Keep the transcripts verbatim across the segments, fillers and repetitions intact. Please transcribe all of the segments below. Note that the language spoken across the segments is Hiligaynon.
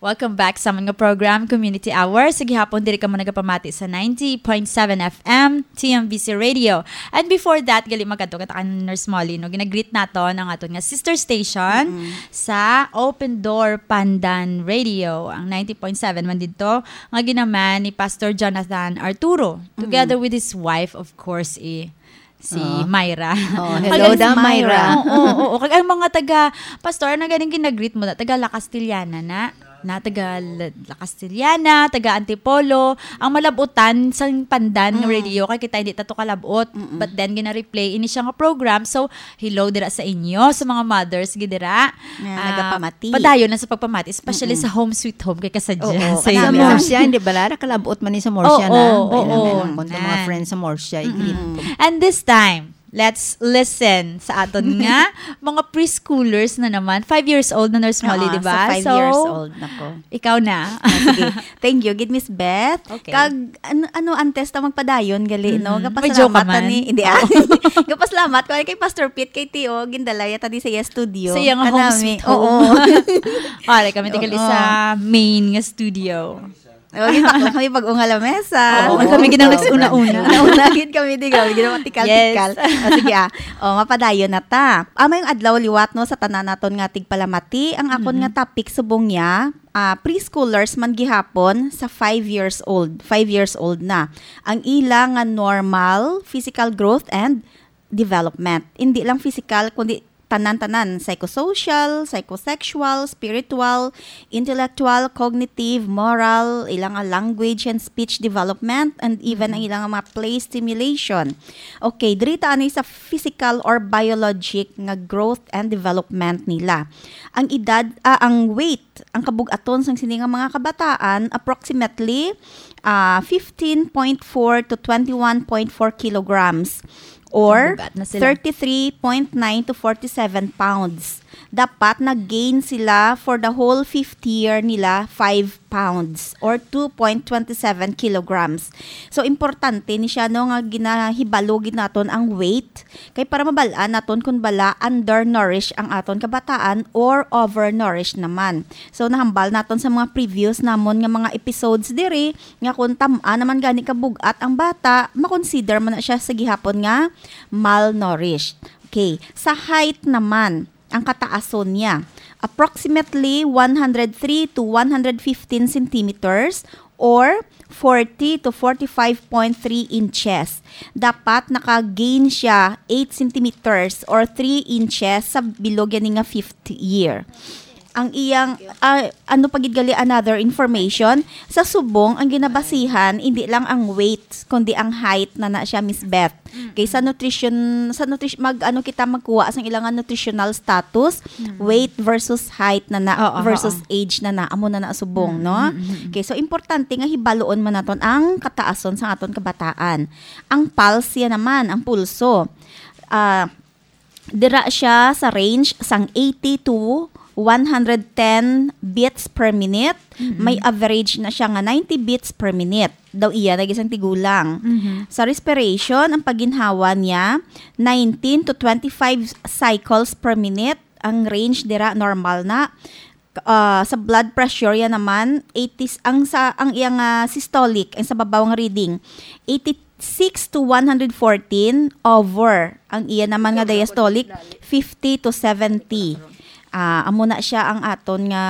Welcome back sa mga program, Community Hour. Sa gihapon, diri kamo nagapamati sa ninety point seven F M, T M V C Radio. And before that, gali magkadto kita kan Nurse Molly, no? Ginagreet naton ang aton nga sister station sa Open Door Pandan Radio, ang ninety point seven man didto, nga ginaman ni Pastor Jonathan Arturo, together with his wife, of course, eh, si Oo. Myra. Oh, Kag hello ang da, Myra. Oo, oo, oo. Kag ang mga taga, Pastor, ano ganing ginagreet mo na? Taga La Castellana na? Na taga La, La Castellana, taga Antipolo. Ang malabutan sa Pandan nga Mm. radio, kay kita hindi tato kalabot. Mm-mm. But then, gina-replay ini siya nga program. So, hello dira sa inyo, sa mga mothers, gid dira. Nga Ah, nagapamati. Padayon na sa pagpamati, especially Mm-mm. sa Home Sweet Home, kay kasadya. Oo, Sa kanami inyo. Morsia, hindi ba, Lara? Kalabot man ni sa Morsia Oo, na. oo, Kailangan oo, kung sa mga na. Friends sa Morsia, i-greet Mm-mm. ko. And this time, let's listen sa aton nga mga preschoolers na naman. Five years old na, Nurse Molly, Oo, di ba? sa five So, years old na ko. Ikaw na. Ah, sige. Thank you, gid, Miss Beth. Okay. Kag, ano, ano, antes ta magpadayon, gali, no? Mm. May joke ka Gapasalamat man? Ni, hindi, ah. Oo. Gapasalamat ko kay Pastor Pete, kay Tio, gindalaya ta di sa iya studio. Sa iya nga home Kanami. Sweet Home. Oo. Pare, kami tikali Oo. Sa main nga studio. Oh, gid, bakla kami pag-unga lamesa. Oo, Oo. Kami gid ang Oo. Nagsiuna-una. Nauna gid kami, di, grabe, gid ang tikal-tikal. Yes. O, sige, ah. O, mapadayon na ta. Ah, maayong adlaw liwat, no, sa tanan naton nga tigpalamati. Ang akon Mm-hmm. Nga topic subong niya, ah, preschoolers man gihapon sa five years old. Five years old na. Ang ila nga normal physical growth and development. Hindi lang physical, kundi tanan-tanan, psychosocial, psychosexual, spiritual, intellectual, cognitive, moral, ilang language and speech development, and even ang Mm. Ilang mga play stimulation. Okay, diri ta ani sa physical or biologic nga growth and development nila. Ang edad, ah, ang weight, ang kabug-aton sang sini nga mga kabataan, approximately, ah, fifteen point four to twenty-one point four kilograms. Or Ang bugat na sila. Thirty-three point nine to forty-seven pounds. Dapat nag-gain sila for the whole fifth year nila, five pounds or two point twenty-seven kilograms. So, importante ni siya, no, nga ginahibalo gid naton ang weight. Kay para mabal-an naton kung bala undernourished ang aton kabataan or overnourished naman. So, nahambal naton sa mga previous namon nga mga episodes diri, nga kung tam-a naman gani kabug-at ang bata, makonsider man na siya sa gihapon nga malnourished. Okay, sa height naman, ang kataason niya, approximately one hundred three to one hundred fifteen centimeters or forty to forty-five point three inches. Dapat naka-gain siya eight centimeters or three inches sa bilog yani nga fifth year. Ang iyang, ah, ano pa gid gali, another information, sa subong ang ginabasihan, hindi lang ang weight, kundi ang height na na siya, Miss Beth. Mm. Kay sa nutrition, sa nutri-, mag, ano kita magkuha sang ilang nutritional status, Mm. weight versus height na na, Oo, versus oo. age na na, amo na na subong, Mm, no? mm, mm, mm. Okay, so importante nga hibaloon man naton ang kataason sa aton kabataan. Ang pulse ya naman, ang pulso. Ah, Dira siya sa range sang eighty to one hundred ten beats per minute. Mhm. May average na siya nga ninety beats per minute. Daw iya na gisang tigulang. Mhm. Sa respiration, ang pagginhawa niya, nineteen to twenty-five cycles per minute. Ang range dira, normal na. Ah, sa blood pressure, yan naman, eighty, ang sa, ang iyang, ah, systolic, ang sa babaw nga reading, eighty-six to one hundred fourteen over. Ang iya naman nga diastolic, fifty to seventy. Ah, amo na siya ang aton nga,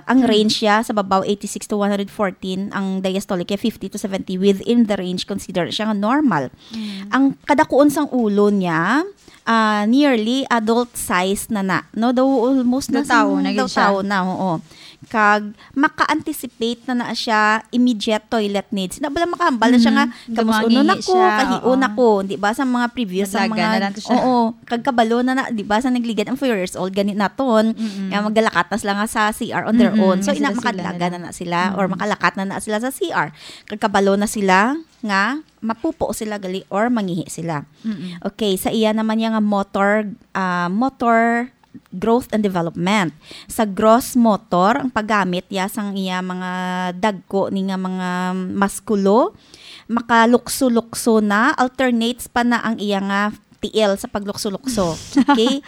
ang range siya sa babaw, eighty-six to one hundred fourteen, ang diastolic niya, fifty to seventy, within the range, consider siya nga normal. Mm. Ang kadakuon sang ulo niya, ah, nearly adult size na na, no? Daw almost na Daw tao sang, na gid daw siya. Tao na, oo. Kag maka-anticipate na na siya immediate toilet needs. Na bala makahambal na siya nga, Mm, kamus-uno gumangi na ko, siya, kahiuon oo. Na ko, di ba, sa mga previous, sa Maglaga mga, na lang to siya. Oo, kag kabalo na na, di ba, sa nagligad ang four years old, gani naton, Mm-mm. nga magdalakat na sila nga sa C R on their Mm-mm, own. So, ina, sila-sila makadlaga na lang. Na na sila, or Mm-mm. Makalakat na na sila sa C R. Kag kabalo na sila nga mapupo sila gali or mangihi sila. Mm-mm. Okay, sa iya naman niya nga motor, ah, motor growth and development. Sa gross motor, ang paggamit ya sang iya mga dagko ni nga mga muskulo, makalukso-lukso na, alternates pa na ang iya nga tiil sa paglukso-lukso. Okay?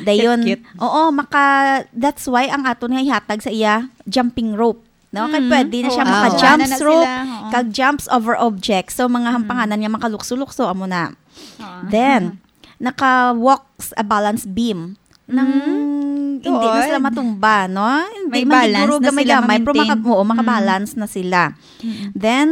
Dayon, Cute, cute. Oo, maka, that's why ang aton nga ihatag sa iya, jumping rope. no? Kay Mm. pwede na siya Oo, maka-jump nasuwanan na rope, sila, oo. kag jumps over objects. So, mga Mm. hampanganan nga makalukso-lukso, amo na. Oo. Then, naka-walks a balance beam. Nang Mm. hindi na sila Tuod. matumba, no? Hindi May man siguro balance na sila gamay-gamay, pero maka-, ma-maintain. oo, Mm. makabalance na sila. Mm. Then,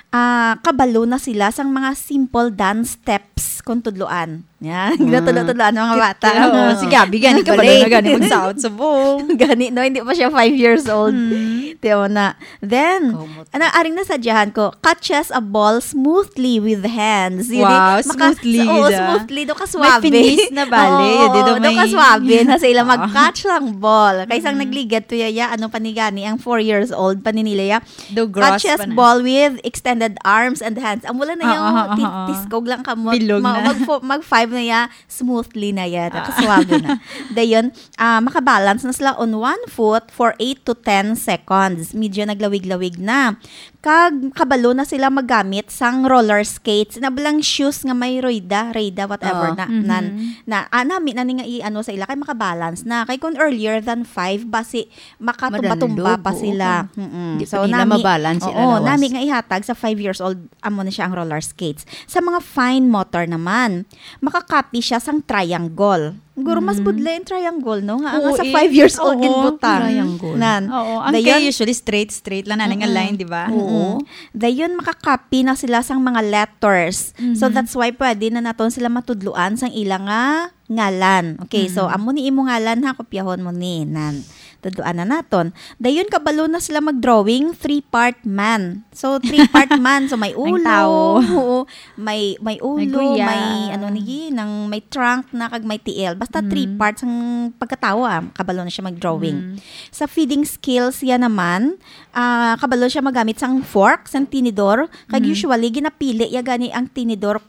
ah, kabalo na sila sang mga simple dance steps kung tudloan. Yan. Ah. Natudlo-tudloan ng mga Tit-, bata. oo, si Gabi, gani, kabalo na Ballet. gani, magsaot sa bong. Gani, no? Hindi pa siya five years old. Mm. Tiyo na. Then, Kumot. ano, aring nasadyahan ko, catches a ball smoothly with hands. Yun, Wow, eh, maka-, smoothly, oo, da. smoothly, do ka May suabe. finesse na bali, Oo, yun, di, do do may ka suabe na sila Ah. mag-catch lang ball. Kaysa ang Mm. nagligad to yaya, ano pa ni gani, ang four years old pa ni nila ya. Do gross Catches pa na. ball with extended arms and hands. Ang wala na Ah, yung ah, ah, tis-, ah, ah. tiskog lang kamot. Bilog Ma-, na. mag fo-, mag five na ya, smoothly na ya. Ah. Nakaswabe na. Dayon, ah, makabalance na sila on one foot for eight to ten seconds. Medyo naglawig-lawig na. Kag kabalo na sila maggamit sang roller skates. Na balang shoes nga may rueda, rueda, whatever Oo. na, Mhm. nan, na, ah, nami na ni nga i-ano sa ila, kay makabalance na. Kay kung earlier than five, basi makatumba-tumba Madandog, pa oo, sila. kung Mm-mm. di So, pa nila nami, mabalance sila oo, lawas. nami nga ihatag sa five years old, amo na siya ang roller skates. Sa mga fine motor naman, makakopy siya sang triangle. Siguro mas Mm. budlay ang triangle, no? Nga, Oo, nga sa eh. five years old Oo, ginbutang. triangle. Nan. Oo, ang Dayon, kay usually straight, straight lang na nga Mm-mm. line, di ba? Oo. Mm-mm. Dayon, makakopy na sila sang mga letters. So, Mhm. that's why pwede na naton sila matudloan sang ila nga ngalan. Okay, so, Mm. amo ni imo ngalan, ha, kopyahon mo ni, nan. Tudloan na naton. Dayon, kabalo na sila mag-drawing, three-part man. So, three-part man. So, may Ang ulo, tao. oo, may, may May ulo, guya. may, ano ni, nang may trunk na, kag may tiil. Basta Mm. three parts ang pagkatawo, ah, kabalo na siya mag-drawing. Mm. Sa feeding skills, yan naman, ah, kabalo siya magamit sang fork, sang tinidor, kag Mm. usually, ginapili ya gani ang tinidor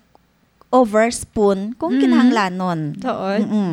over spoon kung Mm. kinahanglanon. Tuod. Mm-mm.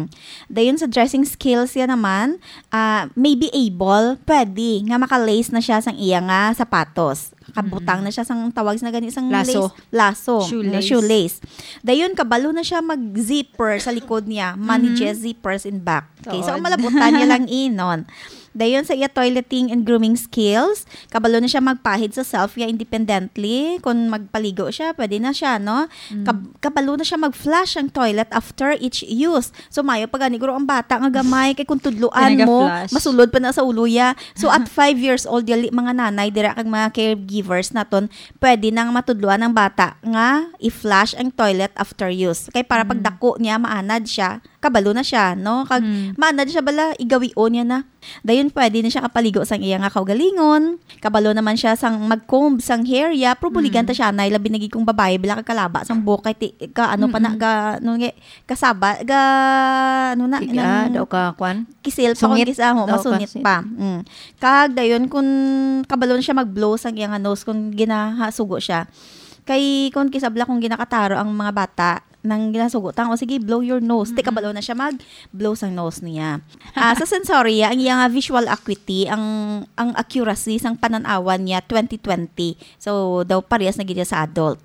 Dayon sa dressing skills ya naman, ah, maybe able, pwede nga maka-lace na siya sang iya nga sapatos. Kabutang Mm. na siya sang tawag na gani sang Laso. lace. Laso. Shoelace. Shoelace. Dayon, kabalo na siya mag-zipper sa likod niya. Manages Mhm. zippers in back. Okay, so Tuod. ang malabutan niya lang inon. Dayon sa iya toileting and grooming skills, kabalo na siya magpahid sa self ya independently. Kung magpaligo siya, pwede na siya, no? Mm. Kab-, kabalo na siya mag-flush ang toilet after each use. So, mayo pa gani, guro, ang bata nga gamay, kay kung tudloan mo, Ginaga-flush. masulod pa na sa ulo ya. So, at five years old, yali, mga nanay, dira kag mga caregivers naton, pwede nang matudloan ang bata nga i-flush ang toilet after use. Kay para Mm. pagdako niya, maanad siya, kabalo na siya, no? Kag Mm. maanad siya bala, igawion niya na. Dayon, pwede na siya kapaligo sang iya nga kaugalingon. Kabalo naman siya sang mag-comb sang hair ya. Pero buligan Mm. ta siya, nay, labi na gid kung babayi, bala ka kalaba sang buhok, kay ti-, ka, ano pa na, Mm-mm. ga, ano nga, kasaba, ga, ano na, Tiga, nang daw ka, kwan? kisil pa, kung Sungit. kisa mo, Daw ka, masunit si- pa. Mm. Kag dayon, kung kabalo na siya mag-blow sang iya nga nose, kung ginahasugo siya. Kay, kung kisabla, kung ginakataro ang mga bata, nang ginasugo tang, "O, sige, blow your nose." Ti Mm-mm. kabalo na siya mag-blow sang nose niya. Ah, sa sensoria, ang iya nga visual acuity, ang, ang accuracy sang panan-awan niya, twenty twenty. So, daw parehas na gid siya sa adult.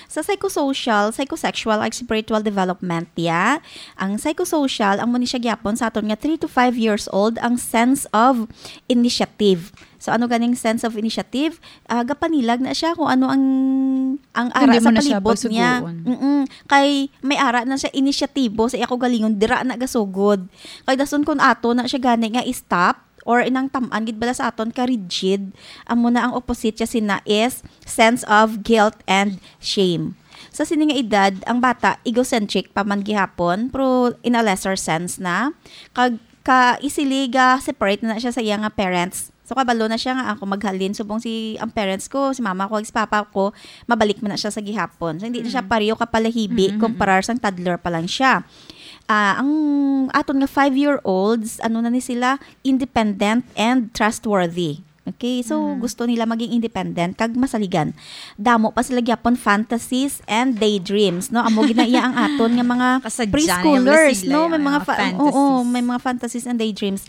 Sa psychosocial, psychosexual, ag spiritual development, ya, ang psychosocial, amo ni siya gyapon sa aton nga three to five years old, ang sense of initiative. So, ano ganing sense of initiative? Ah, gapanilag na siya kung ano ang, ang ara Hindi sa mo na siya palibot niya. pagsugoon. Mm-mm. Kay may ara na siya inisyatibo sa iya kaugalingon, dira na gasugod. Kay dason kung ato na siya gani nga i-stop, or inang tam-an gid bala sa aton ka rigid, amo na ang opposite siya sina is sense of guilt and shame. Sa sini nga edad, ang bata egocentric pa man gihapon, pero in a lesser sense na. Kag ka easily ga separate na, na siya sa iya nga parents. So, kabalo na siya nga ako maghalin. Subong si, ang parents ko, si mama ko, si papa ko, mabalik man na siya sa gihapon. So, hindi na siya Mm. pareho ka palahibi, Mm, mm, mm. kumparar sang toddler pa lang siya. Ah, ang aton nga five-year-olds, ano na ni sila, independent and trustworthy. Okay, so Mm. gusto nila maging independent kag masaligan. Damo pa sila gyapon fantasies and daydreams, no? Amo gid na iya ang aton nga mga Kasadya na yung preschoolers, sila, no? yung May mga mga fa-, fantasies. Oo, may mga fantasies and daydreams.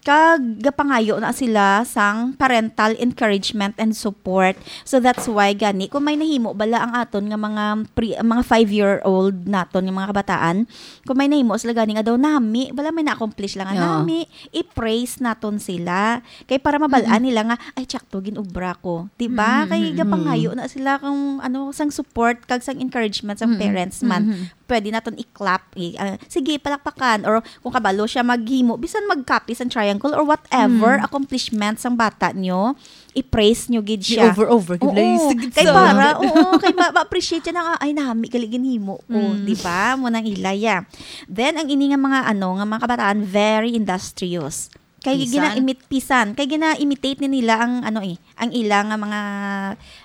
Kag gapangayo na sila sang parental encouragement and support. So that's why gani kung may nahimo bala ang aton nga mga pre-, mga five-year-old naton nga mga kabataan, kung may nahimo sila gani nga daw nami, bala may na-accomplish lang nga Oo. nami, i-praise naton sila. Kay para mabal-an Mm-mm. nila nga, "Ay, tsakto, ginobra ko." Di ba? Mm, Kay mm, gapangayo mm. na sila kung ano, sang support, kag sang encouragement sang Mm, parents man. mm, mm. Pwede naton i-clap, i-, ah, sige, palakpakan. Or kung kabalo siya maghimo, bisan mag-copy sang triangle or whatever Mm. accomplishment sang bata nyo, i-praise nyo gid siya. I-over-over gid Oo, lang yung sigit kay sa para, oo, kay ma-, ma-appreciate siya na, "Ay, nami, gali ginhimo ko." Mm. Di ba? Mo nang ilaya. Then, ang ini nga mga, ano, nga mga kabataan, very industrious. Kay Pisan. gina-imit-, pisan. Kay gina-imitate ni nila ang, ano eh, ang ila nga mga,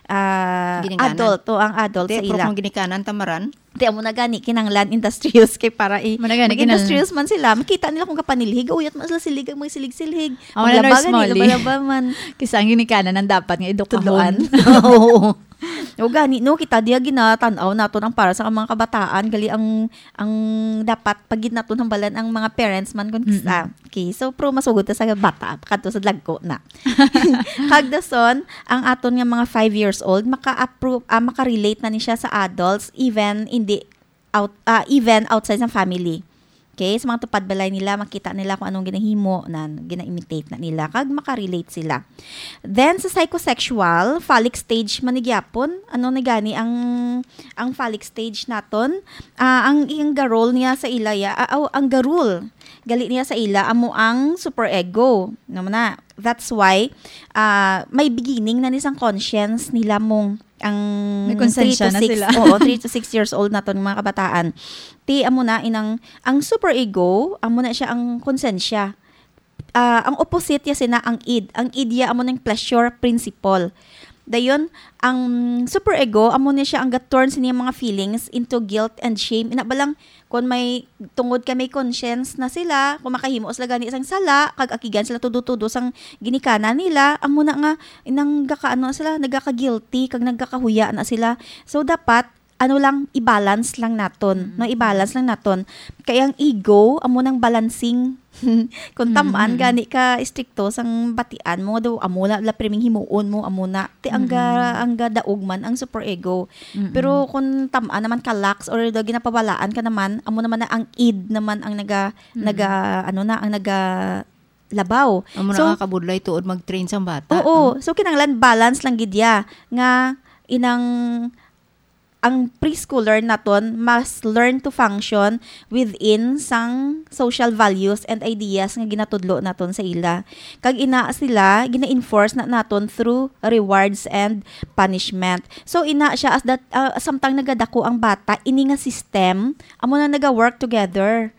ah, Ginikanan. adult, o ang adult Te, sa pero ila. kung ginikanan, tamaran? Te, amo na gani, kinanglan industrious kay para i-, Amo na gani, mag-industrious kinanglan. man sila. Makita nila kung kapanilhig, uyat man sila silig, ang mga silig-silhig. Amo na, Maglaba Nurse gani, Molly. laba-laba man. Kisa ang ginikanan ang dapat nga edukahon. Tudloan. Oo. O gani, no, kita diya ginatan-aw naton ang para sa mga kabataan, gali ang, ang dapat pagid naton hambalan ang mga parents man kun kisa. Mm-mm. Okay, so, pero masugod ta sa bata, kadto sa dagko na. Kag dason, ang aton nga mga five years old, maka-appro-, ah, maka-relate na ni siya sa adults, even hindi out-, ah, even outside sa family. Okay? Sa mga tupad balay nila, makita nila kung anong ginahimo na gina-imitate na nila, kag makarelate sila. Then, sa psychosexual, phallic stage man ni gyapon, ano na gani ang, ang phallic stage naton? Ah, ang, ang garol niya sa ila, ya, ah, aw, ang garol gali niya sa ila, amo ang superego. Ano man na? That's why, ah, may beginning na ni sang conscience nila mong ang May konsensya three to na six, sila. oo, three to six years old naton mga kabataan. Ti, amo na, inang, ang superego, amo na siya ang konsensya. Ah, ang opposite ya sina ang id. Ang id ya amo nang pleasure principle. Dayon, ang superego, amo ni siya ang ga-turn sa niyang mga feelings into guilt and shame. Ina ba lang, kung may, tungod kay may conscience na sila, kung makahimo sila gani sang sala, kag akigan sila tudo-tudo sang ginikanan nila, amo na nga, nang gakaano sila, nagaka-guilty, kag nagkakahuya na sila. So, dapat, ano lang, i-balance lang naton, Mm. no? I-balance lang naton. Kay ang ego, amo nang balancing. Kung tam-an Mm, mm, mm. gani ka istrikto sang batian mo, daw, amo na, la priming himuon mo, amo na. Ti ang ga-, Mm. ang gadaog man, ang superego. Mm, Pero mm. kung tam-an naman ka lax or daw ginapabalaan ka naman, amo naman na ang id naman ang naga-, Mm. naga-, ano na, ang nagalabaw. Amo na So, nga kabudlay tuod mag-train sang bata, Oo. no? So, kinahanglan balance lang gid ya nga inang ang preschooler naton must learn to function within sang social values and ideas nga ginatudlo naton sa ila. Kag ina sila, gina-enforce na naton through rewards and punishment. So, ina siya as that, ah, samtang nagadako ang bata, ini nga system, amo na naga-work together.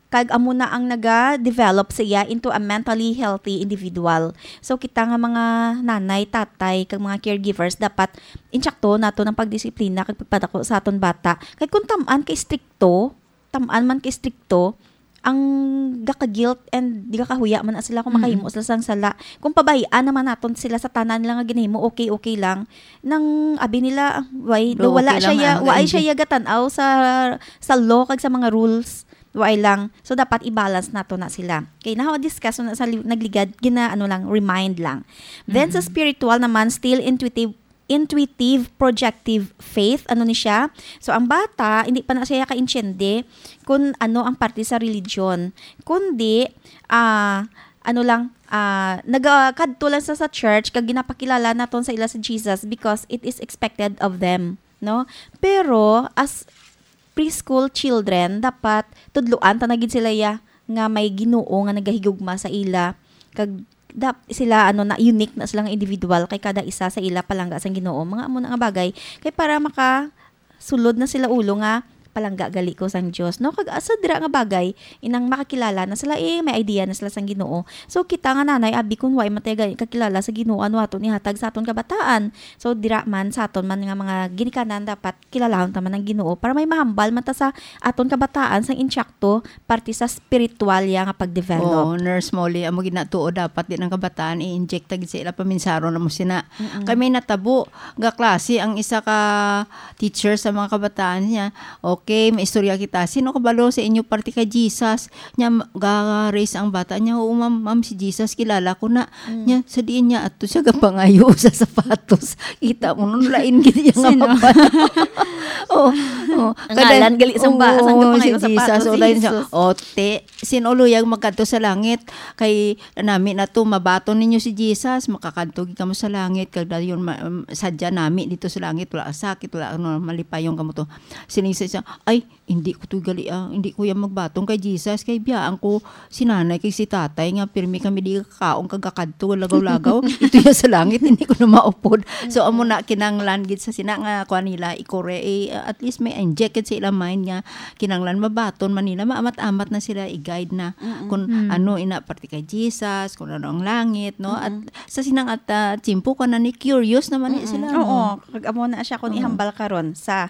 Kag amo na ang naga-develop sa iya into a mentally healthy individual. So, kita nga mga nanay, tatay, kag mga caregivers, dapat insakto nato ang pagdisiplina kag pagpadako sa aton bata. Kay kung tam-an ka istrikto, tam-an man ka istrikto, ang gaka-guilt and di gakahuya man na sila kung Mm-mm. makahimo sila sang sala. Kung pabahian naman naton sila sa tanan nila nga ginahimo, okay, okay lang. Nang abi nila, "Why, Do, wala okay siya lang, ya, ang wala siya nag-enjoy." ya gatan-aw sa, sa law kag sa mga rules." Wala lang. So, dapat i-balance nato na sila. Kay na-discuss na sa li-, nagligad, gina-, ano lang, remind lang. Then, sa Mm-mm. spiritual naman, still intuitive, intuitive, projective faith, ano ni siya? So, ang bata, hindi pa na siya kaintiende kung ano ang parte sa religion. Kundi, ah, ano lang, ah, nagakadto lang sa, sa church, kag ginapakilala naton sa ila sa Jesus because it is expected of them, no? Pero, as preschool children, dapat tudloan ta na gid sila ya nga may Ginoo nga nagahigugma sa ila. Kag dap-, sila, ano, na unique na sila nga individual kay kada isa sa ila palangga sang Ginoo. Mga amo na nga bagay kay para makasulod na sila ulo nga palangga gali ko sang Dios, no? Kag asa dira nga bagay, inang makakilala na sila, eh, may idea na sila sang Ginoo. So, kita nga nanay, abi, kung wa man tayo gani kakilala sa Ginoo, ano aton ihatag sa aton kabataan? So, dira man sa aton man nga mga ginikanan, dapat kilalahon ta man ang Ginoo para may mahambal man ta sa aton kabataan sang insakto parte sa spiritual ya nga pagdevelop. Oo, Nurse Molly, amo gid na tuod, dapat din ang kabataan i-inject ta gid sa ila paminsaron na mo sina. Mm-mm. Kay may natabo nga klase ang isa ka teacher sa mga kabataan niya, o Okay, maistorya kita. Sino kabalo sa inyo parte kay Jesus? Nya, ma-, ga-raise ang bata niya, "Oo, ma'am, ma'am, si Jesus, kilala ko na." Mm. Nya, sa diin niya, ato siya gapangayo sa sapatos. Kita mo, nun lain gid iya nga Sino? mapal-, oh, oh. Ang Kada-, ngalan gali sang ba-, sang oo, gapangayo si sa Jesus, sapatos, oh, si lain siya. Jesus. Oh, te, sin-o luyag magkadto sa langit, kay nami na to, mabaton ninyo si Jesus, makakadto gid kamo sa langit, kag dayon ma-, um, sadya nami dito sa langit, wala sakit, wala ano, malipayon kamo to. Sining sa isa, "Ay, hindi ko to gali, ah, hindi ko yan magbaton kay Jesus, kay biyaan ko si nanay kay si tatay nga pirmi kami di kakaon kag kakadto lagaw-lagaw, ito yan sa langit, hindi ko na maupod." So, amo na kinanglan gid sa sina nga kuan nila, ikore, eh, at least may inject sa ilang mind nga kinanglan mabaton man nila, maamat-amat na sila, i-guide na Mm-mm. kung Mm. ano ina parte kay Jesus, kung ano ang langit, no? At Mm-mm. sa sinang at, ah, tiyempo ka na ni curious naman ni Mm-mm. sila, Oo, no? Kag amo na siya kung Oo. ihambal karon sa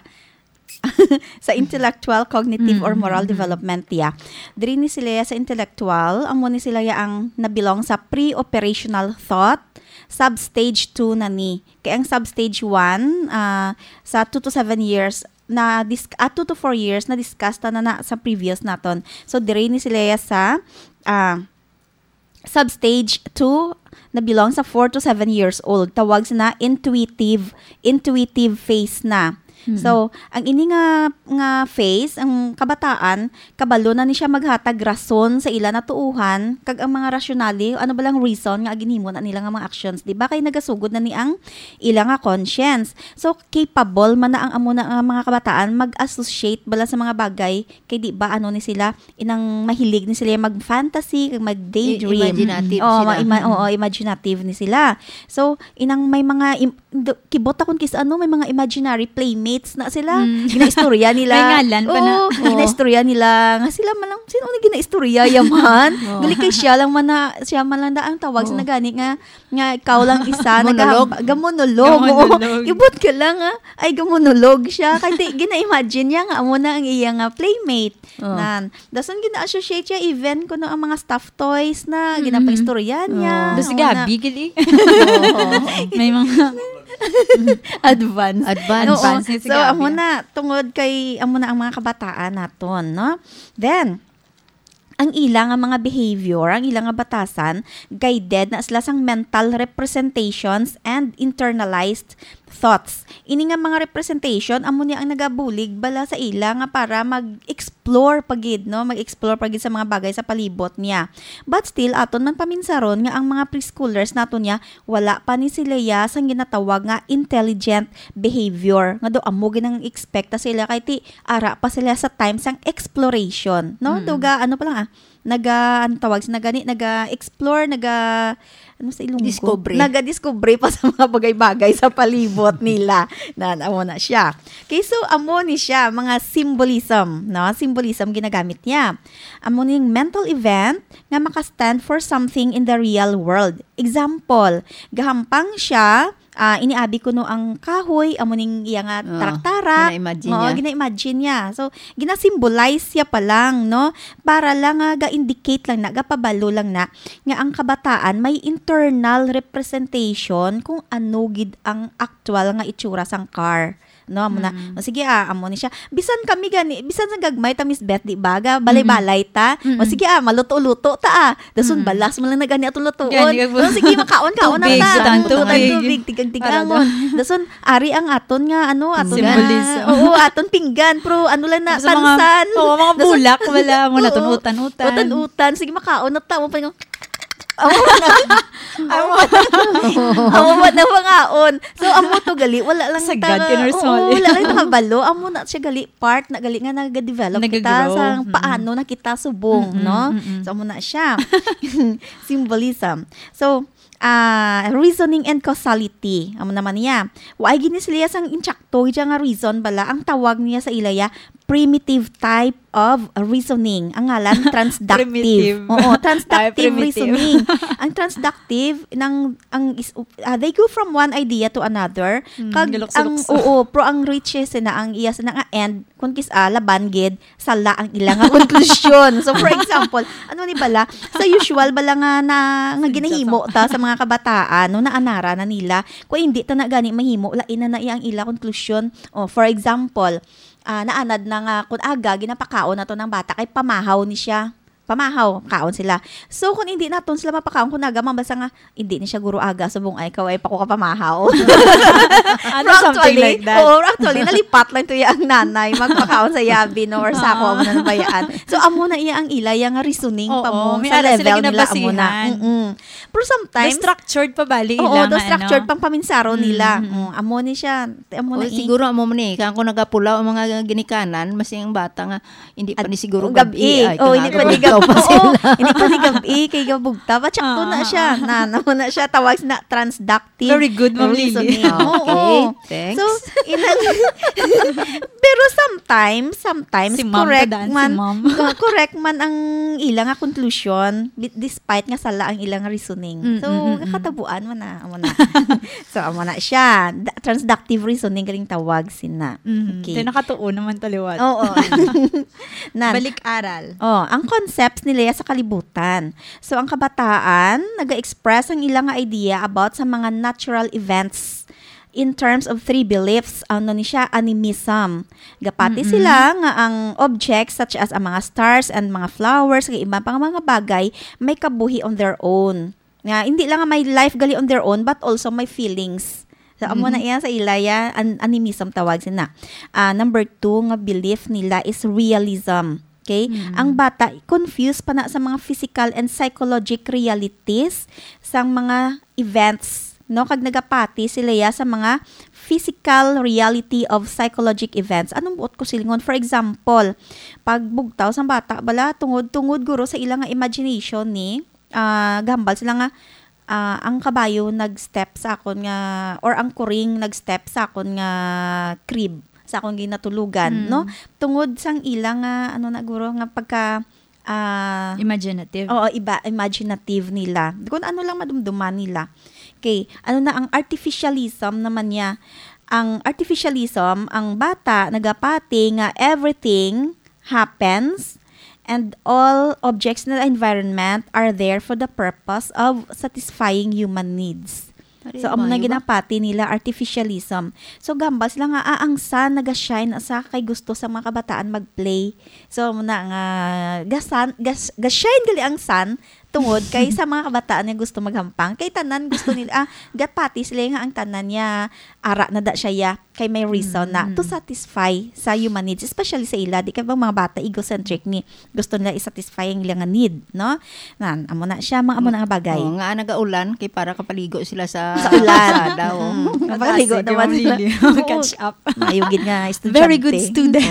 sa intellectual, cognitive, or moral Mm-mm. development, ya. Diri ni sila sa intellectual, amo ni sila ya ang nabilong sa pre-operational thought, sub-stage two na ni. Kay ang sub-stage one, ah, sa two to seven years, na dis-, ah, two to four years, na-discuss ta na, na sa previous naton. So, diri ni sila ya sa, ah, sub-stage two na belong sa four to seven years old. Tawag sina intuitive, intuitive phase na. Mm. So, ang ini nga, nga phase, ang kabataan, kabalo na ni siya maghatag rason sa ila natuohan, kag ang mga rasyonale, ano ba lang reason nga ginhimo na nila nga mga actions, di ba? Kay nagasugod na ni ang ila nga conscience. So, capable man na ang amo na nga mga kabataan mag-associate bala sa mga bagay, kay di ba, ano ni sila, inang mahilig ni sila mag-fantasy, kag mag-daydream. I-, imaginative Oo, sila. ma-, ima-, Mm. oo, imaginative ni sila. So, inang may mga im-, do-, kibot akon kis ano, may mga imaginary playmates na sila. Mm. Ginaistorya nila. May ngalan pa na. Oo, Oo. ginaistorya nila nga sila man lang, sino na ginaistorya yaman? Oo. Gali kay siya lang man na, siya man lang na ang tawag sa Oo. nagani nga, nga ikaw lang isa, Monologue? nagahab-, gamonologue. Oo. Gamonologue. Kibot ka lang, ah. Ay, gamonologue siya. Kay di, gina-imagine niya nga amo na ang iya nga playmate. Oh. Nan. Dason gina-associate siya even kuno ang mga stuffed toys na Mm-hmm. ginapaistorya niya. Oh. Tapos Una. gabi, gali. Oo. May mga Advance. Advance. Oo. Advance ni si So, Gabi, amo ah. na, tungod kay, amo na ang mga kabataan naton, no? Then, ang ila nga mga behavior, ang ila nga batasan, guided na sila sang mental representations and internalized thoughts. Ini nga mga representation, amo ni ang nagabulig bala sa ila nga para mag-explore pa gid, no? Mag-explore pa gid sa mga bagay sa palibot niya. But still, aton man paminsaron nga ang mga preschoolers nato niya, wala pa ni sila ya sang ginatawag nga intelligent behavior. Nga daw amo gid ang expect ta sila kay ti ara pa sila sa time sang exploration, no? Mm. Daw ga, ano pa lang, ah, naga, ano tawag sa nagani, naga-explore, naga, ano sa Ilonggo? Discovery. Naga-discovery pa sa mga bagay-bagay sa palibot nila. Na, amo na siya. Okay, so amo ni siya, mga symbolism, no? Symbolism ginagamit niya. Amo ning mental event nga maka-stand for something in the real world. Example, gahampang siya, ah, iniabi kuno ang kahoy, amo ning iya nga Ah, tarak-tarak. gina-imagine Oo, niya. gina-imagine niya. So, gina-symbolize siya pa lang, no? Para lang nga ga-indicate lang na, gapabalo lang na, nga ang kabataan may internal representation kung ano gid ang aktual nga itsura sang car. No, amo na. Mm. O, sige, ah, amo ni siya. Bisan kami gani, bisan sa gagmay ta, Miss Beth, di ba? Ga, balay-balay ta. Mm-mm. O, sige, ah, maluto-luto ta, ah. Dason Mm. balas mo lang na gani atong lutuon. Gani, kag O, sige, makaon-kaon na Tubig, ta. sa tanto, Tanto, tubig. tubig, tigang-tigangon. Pinggan. Dason, ari ang aton nga, ano, aton nga, Symbolism. oo, aton pinggan. Pero ano lang na, Sa mga, tansan. oo, mga Dason, bulak, wala mo na, oo. tun-utan-utan. Utan-utan. Sige, makaon na ta. Mo pa yung Amo man ang, amo man ang mangaon. So, amo to gali, wala lang Sagad ta, ka, Nurse oo, Molly. wala lang nakabalo. Amo na siya gali, part na gali nga nag-develop kita Nag-grow. sa Mm-mm. paano na kita subong, Mm-mm, no? mm-mm. So, amo na siya. Symbolism. So, ah, reasoning and causality. Amo naman niya. Wa ay gini sila sang insakto, siya nga reason bala, ang tawag niya sa ilaya, primitive type of reasoning. Ang ngalan, transductive. Primitive. Oo, transductive Ay, primitive. reasoning. Ang transductive, nang, ang is, ah, they go from one idea to another. Hmm, Kag ang, galukso-lukso. oo, pero ang reaches na ang iya sa nga end, kung kis, ah, laban gid, sala ang ila nga konklusyon. So, for example, ano ni bala? Sa usual bala nga, na, nga Sa ginahimo ta sa mga kabataan, no, naanara na nila. Kung hindi ta na gani mahimo, lain na na iya ang ila konklusyon. Oh, for example, ah, naanad na nga kun aga ginapakaon nato ng bata kay pamahaw ni siya. Pamahaw, kaon sila. So, kung hindi naton sila mapakaon, kung aga, mabasa nga, hindi ni siya guro aga, subong ay, kaway pa ko kapamahaw. Ano, something like that? Oo, actually, nalipat lang to iya ang nanay, magpakaon sa yabi, no, or sako, amo na nabayaan. So, amo na iya ang ila, iya nga reasoning pa mo, sa level nila, amo na. Mm-mm. Pero sometimes, structured pa bali ila, do structured pang paminsaro nila. Mm, amo ni siya, amo na. Siguro amo man eh, kaya kung nagapulaw ang mga ginikanan, mas yung bata nga, hindi pa ni siguro gabi. Oh, hindi pa ni gabi. Hindi pa ni gabi, kay gabugta. But sakto na siya. Na, na, na siya, tawag na transductive. Very good, Ma'am Lily. Okay, thanks. So, inang, pero sometimes, sometimes, correct man, correct man ang ila nga conclusion, despite nga sala ang ila nga reasoning. So, nakatabuan mo na, amo na. So, amo na siya. Transductive reasoning galing tawag sina. Okay. Kaya nakatuon naman taliwat. Oo. Balik aral. Oh, ang concepts nila sa kalibutan. So, ang kabataan, naga-express ang ilang idea about sa mga natural events in terms of three beliefs. Ano ni siya? Animism. Gapati sila nga ang objects such as ang mga stars and mga flowers, kag iban pang mga bagay, may kabuhi on their own. Nga, hindi lang nga may life gali on their own, but also may feelings. So, amo na iya sa ilaya, an- animism tawag sina. Ah, number two nga belief nila is realism. Okay? Ang bata, confused pa na sa mga physical and psychologic realities sang mga events, no? Kag nagapati sila ya sa mga physical reality of psychologic events. Anong buot ko silingon? For example, pag bugtaw sang bata, bala, tungod, tungod guro sa ilang nga imagination ni, ah, gahambal sila nga, ah, ang kabayo nag-step sa akon nga, or ang kuring nag-step sa akon nga crib, sa akon ginatulugan, no? Tungod sang ila nga, ano na guro, nga pagka, ah, Imaginative. Oo, iba, imaginative nila. Kung ano lang madumduman nila. Okay, ano na ang artificialism naman niya? Ang artificialism, ang bata nagapati nga everything happens and all objects in the environment are there for the purpose of satisfying human needs. So, amo na ginapati nila artificialism. So, gamba sila nga, ah, ang sun naga-shine sa kay gusto sa mga kabataan mag-play. So, amo na nga, gasan, gas, ga-shine gali ang sun tungod kay sa mga kabataan nga gusto maghampang. Kay tanan gusto nila, ah, gapati sila nga ang tanan niya, ara na da siya ya. Kay may reason na to satisfy sa human needs, especially sa ila, di kay bang mga bata egocentric ni gusto nila i-satisfy ang ilang need, no? Nan, amo na siya, mga amo na nga bagay. Oh, nga nagaulan kay para kapaligo sila sa, sa ulan. Kalsada, oh. Mm. Kapaligo naman sila. Catch up. Mayo gid nga estudyante. Very good student.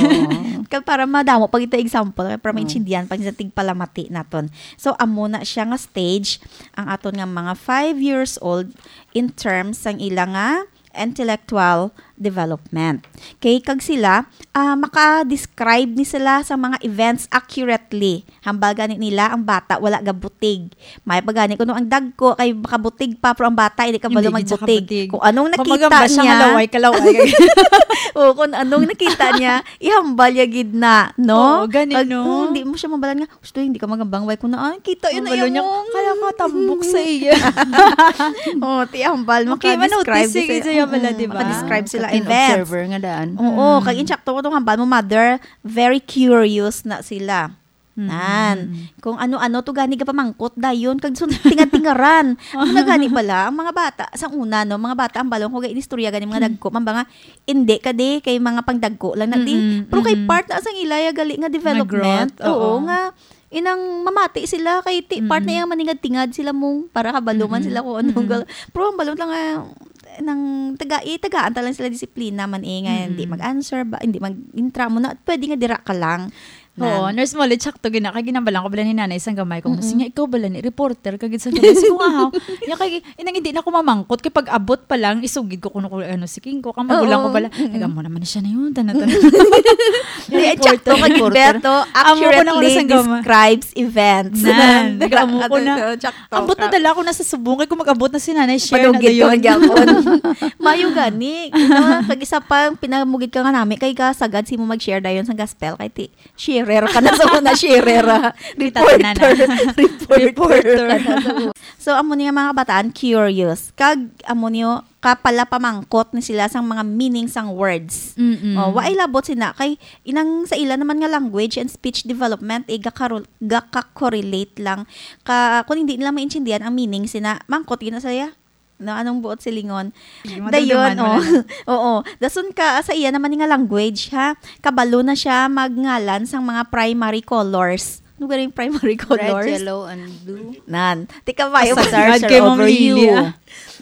Kag para madamo pa kita example, para maintindihan pa sa tigpalamati naton. So, amo na siya nga stage ang aton nga mga five years old in terms sang ila nga intellectual development. Kay kag sila, ah, maka-describe ni sila sa mga events accurately. Hambal gani nila ang bata wala gabutig. May pa gani kuno ang dagko kay makabutig pa, pero ang bata hindi kabalo magbutig. Kung anong nakita niya, laway ka laway. O kung anong nakita niya, ihambal ya gid na, no? Oo, gani, no? Hindi mo siya mabalan nga, "Gusto, hindi ka magambang, way ko na, ah, kita yun na niya. Kaya ka tambok sa iya." Oh, ti hambal, maka-describe sila. Maka-describe sila events. Observer nga daan. Oo, kag insakto ko tong hambal mo, mother, very curious na sila. Nan, kung ano-ano to gani gapamangkot dayon kag sun-, tingad-tingaran. Ang nagani bala ang mga bata sa una, no, mga bata ang balong ko ga inistorya gani mga dagko man ba nga, hindi ka di kay mga pangdagko lang na di. Pero kay part na sang ilaya gali nga development. Oo, nga inang mamati sila kay ti part na yang maningad-tingad sila mong para kabalo man sila kung anong gal-, pero ang balong lang nga nang taga itagaan ta lang sila disiplina man eh nga hindi mag-answer ba, hindi mag-intra mo na pwede nga dira ka lang. Oo, nurse mo ulit sakto gina kay ginabalan ko bala ni nanay sang gamay ko, sige nga ikaw bala ni reporter ka gid sa gamay ko nga haw. Ya kay inang hindi na ko mamangkot kay pag abot pa lang isugid ko kuno ko ano si King ko kang magulang ko bala. Nagamo naman siya na yun, tanan-tanan. Di, sakto ka gid, Beto. Accurately describes events. Nan, nagamo ko na. Ambot na dala ko na sa subong kay kung mag-abot na si nanay, share na dayon. Mayo gani. Kag isa pa, pinamugid ka nga nami kay ka sagad si mo mag-share dayon sa gospel kay ti share Rera ka na sa una, sharera. Kita tanan, Reporter. ah. Reporter. Reporter ka na sa una. So, amo ni nga mga kabataan, curious. Kag, amo niyo, kapala pamangkot ni sila sang mga meaning sang words. Mm-mm. Oh, waay labot sina kay inang sa ila naman nga language and speech development, eh, gakaro- gakakorelate lang. Ka, kung hindi nila maintindihan ang meaning sina, mangkot gina saya. No, anong buot silingon? Sige, Dayon, madumduman mo oh. na lang. Oo. Dason ka sa iya naman nga language, ha. Kabalo na siya magngalan sang mga primary colors. Ano ba yung primary Red, colors? Yellow, and Blue. Nan, tika ba yung Pasagad search kay Ma'am over Lily, you? Ah.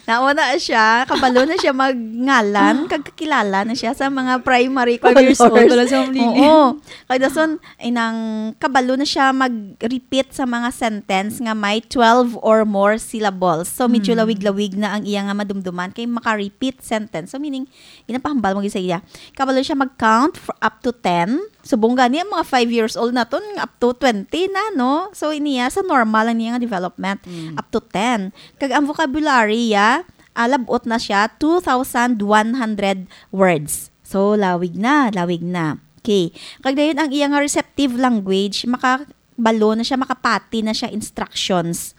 Nauna siya, kabalo na siya magngalan, kag kakilala na siya sa mga primary Five years old colors. Pala si Ma'am Lily. Oo. Kay dason, inang kabalo na siya mag-repeat sa mga sentence nga may twelve or more syllables. So, medyo Hmm. lawig-lawig na ang iya nga madumduman kay maka-repeat sentence. So, meaning, ginapahambal mo gyud sa iya. Kabalo siya mag-count for up to ten. Subong gani ang mga five years old naton, up to twenty na, no? So, iniya sa normal ang niya nga development, Mm. up to ten. Kag ang vocabulary, ya, ah, labot na siya, two thousand one hundred words. So, lawig na, lawig na. Okay. Kag dayon ang iya nga receptive language, makabalo na siya, makapati na siya instructions.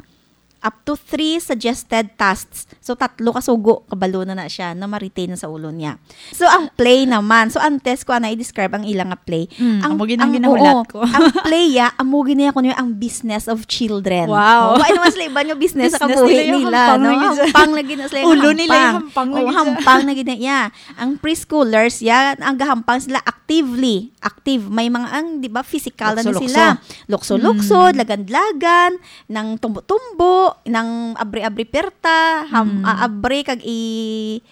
Up to three suggested tasks. So, tatlo ka sugo, kabalo na na siya, na ma-retain na sa ulo niya. So, ang play naman. So, antes ko na i-describe ang ilang nga play. Mm, ang, amo gid ang ang, ginahulat oo, ko. Ang play, ya, amo gid niya kuno ang business of children. Wow. Oh, ano mas liban yung business sa Business kabuhi nila yung nila, hampang no? na gid sa- Hampang na gid na sila yung Ulo nila yung hampang na Oh, gid sa- hampang na gid na, ya. Ang preschoolers, ya, ang gahampang sila actively. Active. May mga, ang, di ba, physical na ni Lukso-lukso. sila. Lukso-lukso, Mm. lagan-lagan, nang tumbo-tumbo, nang abri-abri perta, ham, Mm. ah, abri kag i,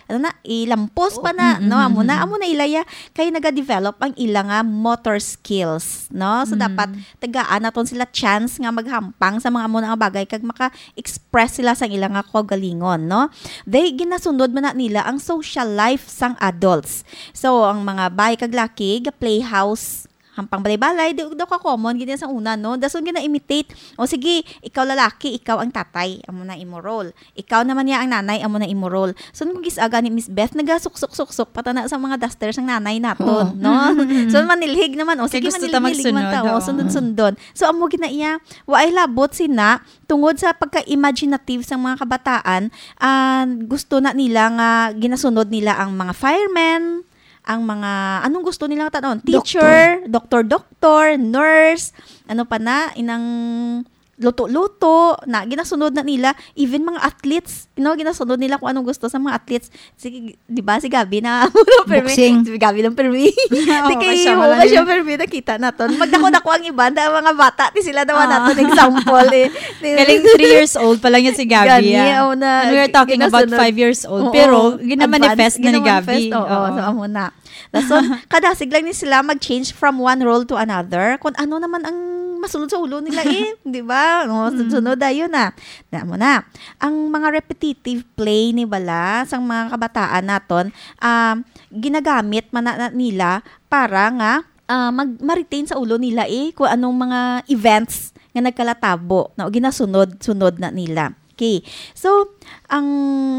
ano na, ilampos pa Oh, na, mm, no? mm, Amo na, mm. amo na ila ya. Kay naga-develop ang ila nga motor skills, no? So, Mm. dapat tagaan naton sila chance nga maghampang sa mga amo na nga bagay kag maka-express sila sang ila nga kaugalingon, no? They ginasunod man na nila ang social life sang adults. So, ang mga bayi kag laki, ga playhouse, hampang balay-balay, di daw ka common gid sa una, no? Dason gina-imitate. O sige, ikaw lalaki, ikaw ang tatay, amo na imo role. Ikaw naman niya ang nanay, amo na imo role. So, kung gis-aga ni Miss Beth, nagasuksok-suksok pa tana sa mga duster sang nanay naton, Oo. no? Mm, mm, mm. So, manilhig naman. O Kay sige, gusto ta manilhig-nilhig man ta. magsunod, O, oo. sundon-sundon. So, amo gid na iya. Waay labot sina, tungod sa pagka-imaginative sang mga kabataan, ah, gusto na nila nga ginasunod nila ang mga firemen, ang mga, anong gusto nila tan-awon? Doktor. Teacher, doktor-doktor, nurse, ano pa na, inang luto-luto, na ginasunod na nila, even mga athletes, you know, ginasunod nila kung anong gusto sa mga athletes. Si, di ba, si Gabby na, permi, Boxing. Si Gabby lang permi. Oo, Di kay, kasama oo, lang kasama yun. permi, nakita naton. Magdako-dako ang iban, ang mga bata, ti sila daw Ah. naton example eh. Di- Galing three years old pa lang yan si Gabby. Gani, Ah. oh, na And we are talking about ginasunod. five years old. Oo. Pero, ginamanifest Advance, na ni ginamanifest, Gabby. Oo, Oo. so amo na. Dason, kadasig lang ni sila mag-change from one role to another. Kung ano naman ang masulod sa ulo nila eh, di ba? No, Mm. sunod dayon na. Na mo na. Ang mga repetitive play ni bala sang mga kabataan naton, um, ginagamit man na, na nila para nga ah, mag ma-retain sa ulo nila eh kung anong mga events nga nagkalatabo, no, ginasunod-sunod na nila. Okay. So, ang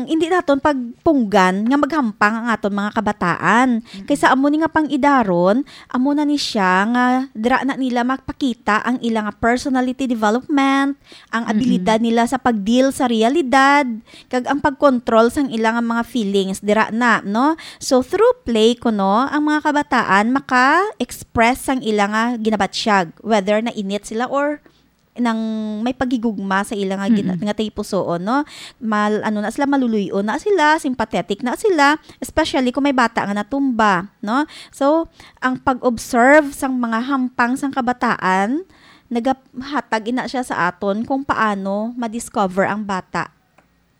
hindi naton pagpunggan nga maghampang ang aton mga kabataan. Kay sa amo ni nga pang-idaron, amo na ni siya nga dira na nila magpakita ang ila nga personality development, ang Mm-mm. abilidad nila sa pag-deal sa realidad, kag ang pag-control sang ila nga mga feelings dira na, no? So, through play kuno, ang mga kabataan maka-express sang ila nga ginabatyag, whether nainit sila or nang may paghigugma sa ila nga gina- Mm-mm. nga tagipusoon, no? Mal ano na sila, maluluy-on na sila, sympathetic na sila, especially kung may bata nga natumba, no? So, ang pag-observe sang mga hampang sang kabataan nagahatag ina siya sa aton kung paano ma-discover ang bata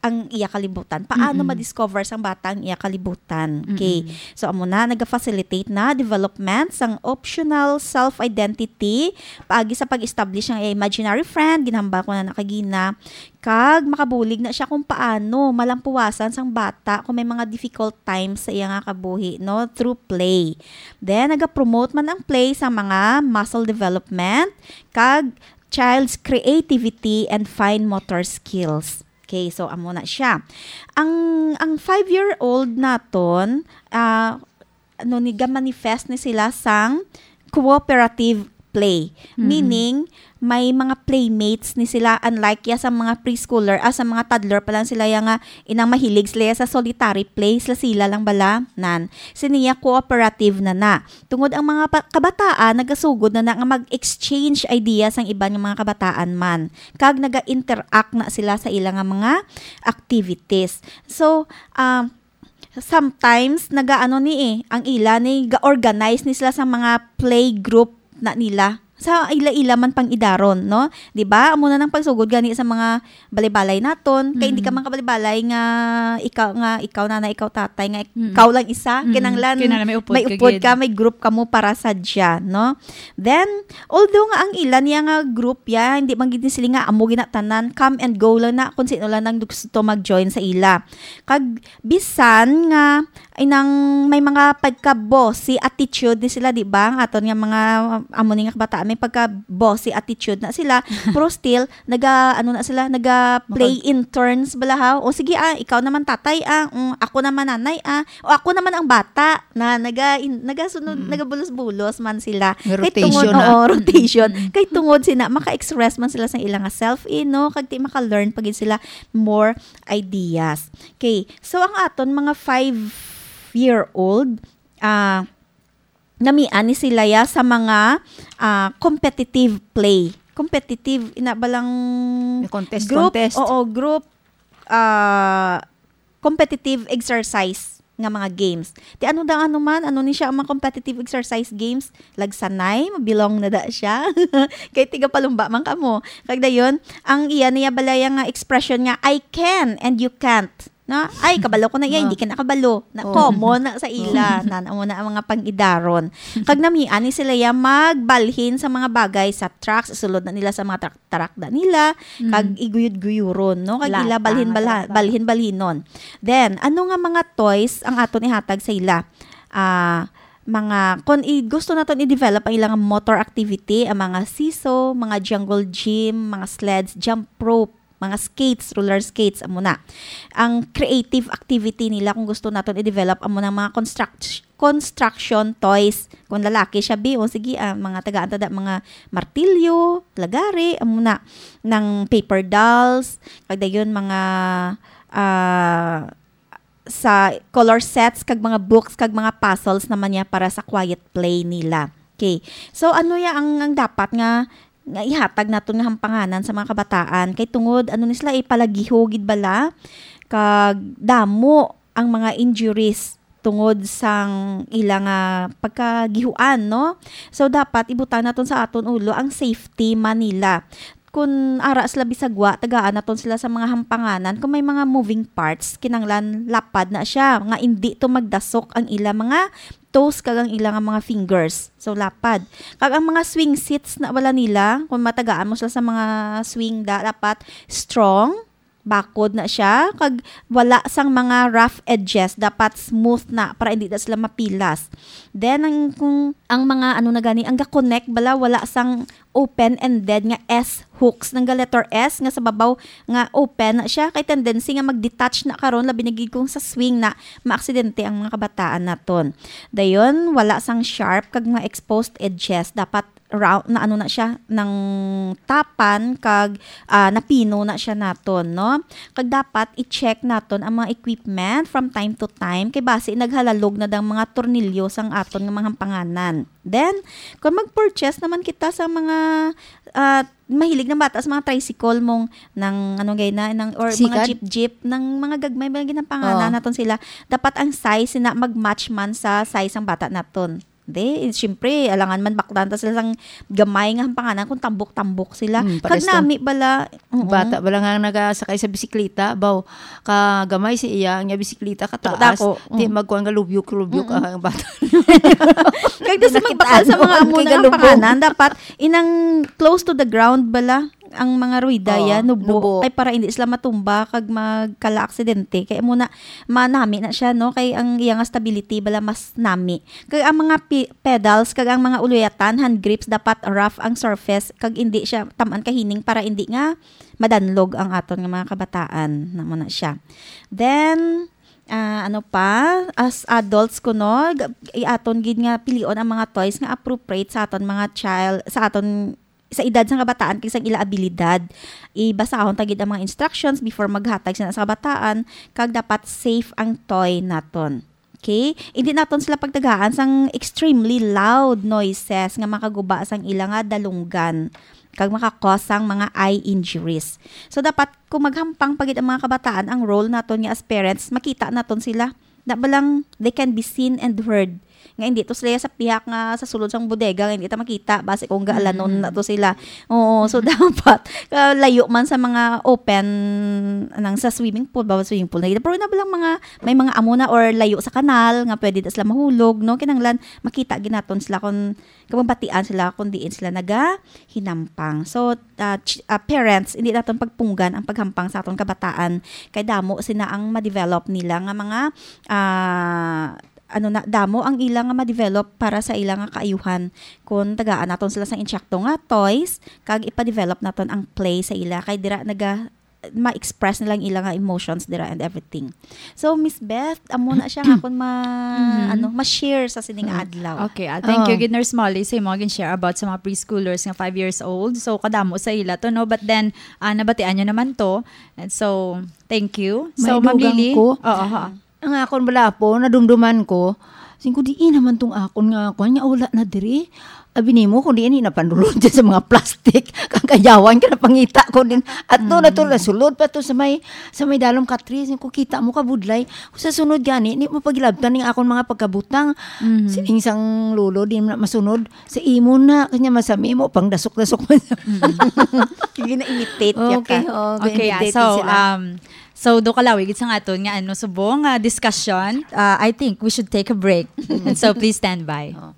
ang iya kalibutan. Paano Mm-mm. ma-discover sang bata ang iya kalibutan? Okay. Mm-mm. So, amo na, naga-facilitate na development sang optional self-identity paagi sa pag-establish ng imaginary friend, ginhambal ko na nakagina, kag makabulig na siya kung paano malampuwasan sang bata kung may mga difficult times sa iya nga kabuhi, no, through play. Then, naga-promote man ang play sa mga muscle development kag child's creativity and fine motor skills. Okay, so amo na siya. Ang ang five-year-old naton, ah, ano ni, ga-manifest ni sila sang cooperative play. Mm-mm. Meaning, may mga playmates ni sila, unlike ya sa mga preschooler, ah, sa mga toddler pa lang sila ya nga inang mahilig sila ya sa solitary play, sila, sila lang bala, nan. Sini ya cooperative na na. Tungod ang mga pa-, kabataan nagasugod na na nga mag-exchange ideas ang iban nga mga kabataan man, kag naga-interact na sila sa ila nga mga activities. So, ah, sometimes nagaano ni eh, ang ila ni ga-organize ni sila sa mga play group na nila. Sa ila-ila man pang-idaron, no? Di ba? Amo na nang pagsugod gani sa mga balay-balay naton. Kay hindi ka Mm. man kabalay-balay nga ikaw, nga ikaw nanay, ikaw tatay, nga Mm. ikaw lang isa. Mm. Kinahanglan Kinahanglan may upod may ka upod gid. ka, may group kamo para sa dya, no? Then, although nga ang ila niya nga group ya, hindi man gid ni sila nga amo ginatanan, come and go lang na kung sino lang nang gusto mag-join sa ila. Kag bisan nga ay nang may mga pagka-bossy attitude ni sila, di ba? Ang aton nga mga, amo ni nga kabataan, may pagka-bossy attitude na sila. Pero still, naga, ano na sila, naga-play Makag- in turns bala, ha? O sige, ah, ikaw naman tatay, ah. Mm, ako naman nanay, ah. O ako naman ang bata. Na naga, in, nagasunod, Mm. nagabulos-bulos man sila. Nga Kay tungod, rotation na. oo, rotation. Mm. Kay tungod sina, maka-express man sila sa ilang self, eh, no? Kag di maka-learn pa gid sila more ideas. Okay, so ang aton mga five-year-old, ah, namian ni sila ya sa mga, ah, competitive play. Competitive, ina ba lang May contest, group? Contest. Oo, group, ah, competitive exercise nga mga games. Ti ano daw ano man, ano ni siya ang mga competitive exercise games? Lagsanay, mabilong na da siya. Kay tiga palumba man kamo. Kag dayon, ang iya niya balaya nga expression nga, "I can and you can't." Na, "Ay, kabalo ko na iya, Oh. hindi ka nakabalo." Na Oh. common na sa ila. Oh. Nan, amo na ang mga pang-idaron. Kag namian ni sila ya magbalhin sa mga bagay sa tracks, sulod na nila sa mga trak-, tarakda nila, Mm. kag iguyod-guyuron, no? Kag ila Lata balhin nga balha-, tarakda. balhin-balhinon. Then, ano nga mga toys ang aton ihatag sa ila? Ah, mga, kung i-, gusto naton i-develop ang ilang motor activity, ang mga seesaw, mga jungle gym, mga sleds, jump rope, mga skates, roller skates, amo na. Ang creative activity nila, kung gusto naton i-develop, amo na mga construct-, construction toys. Kung lalaki siya, bi, o sige, ah, mga tagaan ta da, mga martilyo, lagari, amo na, ng paper dolls, kag dayon mga, ah, sa color sets kag mga books kag mga puzzles naman niya para sa quiet play nila. Okay. So, ano ya ang, ang dapat nga, nga ihatag naton nga hampanganan sa mga kabataan? Kay tungod, ano ni sila, ipalagiho gid bala? Kag damo ang mga injuries tungod sang ila nga pagkagihuan, no? So, dapat ibutang naton sa aton ulo ang safety man nila. Kun ara sila bisag wa, tagaan naton sila sa mga hampanganan. Kung may mga moving parts, kinanglan lapad na siya, nga indi to magdasok ang ila mga toes kag ang ila nga mga fingers. So, lapad. Kag ang mga swing seats na wala nila, kung matagaan mo sila sa mga swing da, dapat strong, bakod na siya, kag wala sang mga rough edges, dapat smooth na para hindi na sila mapilas. Then, ang, kung ang mga, ano na gani, ang ga-connect bala, wala sang open-ended nga S hooks, nang ga letter S nga sa babaw nga open na siya, kay tendency nga mag-detach na karon, labi na gid kung sa swing na maaksidente ang mga kabataan naton. Dayon, wala sang sharp kag mga exposed edges, dapat round na, ano na siya, nang tapan kag, ah, napino na siya naton, no? Kag dapat i-check naton ang mga equipment from time to time, kay basi naghalalog na dang mga tornilyo sang aton nga mga hampanganan. Then, kung mag-purchase naman kita sa mga, ah, mahilig ng bata sa mga tricycle mong nang, ano gay na, nang, or mga Sikat? jeep-jeep, nang mga gagmay, mga ginampanganan Oh. naton sila. Dapat ang size na mag-match man sa size ng bata naton. Di, siyempre, alangan man bakdan ta sila sang gamay nga hampanganan kung tambok-tambok sila. Mm, Kag pares to. nami bala, oo. Bata bala nga nagasakay sa bisikleta, baw, ka gamay si iya, ang iya bisikleta kataas. Dako, Di, mm. magkuhan nga lubyok-lubyok Mm-mm. ang bata. Kag di sa Nakita magbakal sa ano, mga ang amo na kigalubog. hampanganan, dapat inang close to the ground bala ang mga rueda Oo, ya, nubo, nubo. Kay para hindi sila matumba kag magkala aksidente. Kay amo na, manami na siya, no? Kay ang iya nga stability bala mas nami. Kag ang mga pi-, pedals kag ang mga uluyatan, hand grips, dapat rough ang surface kag hindi siya tam-an kahining para hindi nga madanlog ang aton nga mga kabataan. Namo na siya. Then, Ah, ano pa, as adults kuno, g-, iaton gid nga pilion ang mga toys nga appropriate sa aton mga child, sa aton, sa edad sang kabataan kag sang ila abilidad. Ibasahon ta gid ang mga instructions before maghatag sina sa kabataan, kag dapat safe ang toy naton. Okay? Hindi naton sila pagtagaan sang extremely loud noises nga makaguba sang ila nga dalunggan kag maka-cause sang mga eye injuries. So, dapat kung maghampang pa gid ang mga kabataan, ang role naton nga as parents, makita naton sila. Na ba lang, they can be seen and heard. Nga hindi to sila sa pihak nga sa sulod sang bodega, nga hindi ta makita, basi kung gaalanon Mm. na to sila. Oo, so dapat, ah, layo man sa mga open, nang sa swimming pool, bawal swimming pool na gid. Pero na ba lang mga, may mga amo na or layo sa kanal, nga pwede na sila mahulog, no? Kinahanglan, makita gid naton sila kung, kung mabatian sila kung diin sila nagahinampang. So, ah, ch-, ah, parents, hindi naton pagpunggan ang paghampang sa aton kabataan. Kay damo sina ang ma-develop nila nga mga, ah, ano na, damo ang ila nga ma-develop para sa ila nga kaayuhan. Kung tagaan naton sila sang insakto nga toys, kag ipa-develop naton ang play sa ila, kay dira naga, ma-express nila ang ila nga emotions dira and everything. So, Miss Beth, amo na siya nga akon ma-, Mhm. ano, ma-share sa sining Mm. adlaw. Okay, ah, thank you, Oh. gid, Nurse Molly, sa imo gin-share about sa mga preschoolers nga five years old. So, kadamo sa ila to, no? But then, ah, nabatian nyo naman to. And so, thank you. So, May Ma'am dugang Lily? ko. Oo, ha. Ang akon bala po, nadumduman ko, sing ko, "Diin naman tong akon nga, kuwan nga, wala na diri." Abi nimo, kung diin, napanulod dyan sa mga plastic. Kang kayawan ka, napangita ko din. At doon na to, Mm. nasulod pa to sa may, sa may dalom katri. Sing ko, "Kita mo, kabudlay. Kung sa sunod gani, ni mo pagilabtan ning akon mga pagkabutang." Mm. Sining sang lolo, di na masunod. Sa imo na, kanya masami mo, pang dasok-dasok man. Mm. Gina-imitate niya Okay, ka. okay, Okay, yeah. imitate So, sila. um, so, do kalawi gid sa aton nga, ano, subong nga discussion. Uh, I think we should take a break. And so, please stand by. Oh.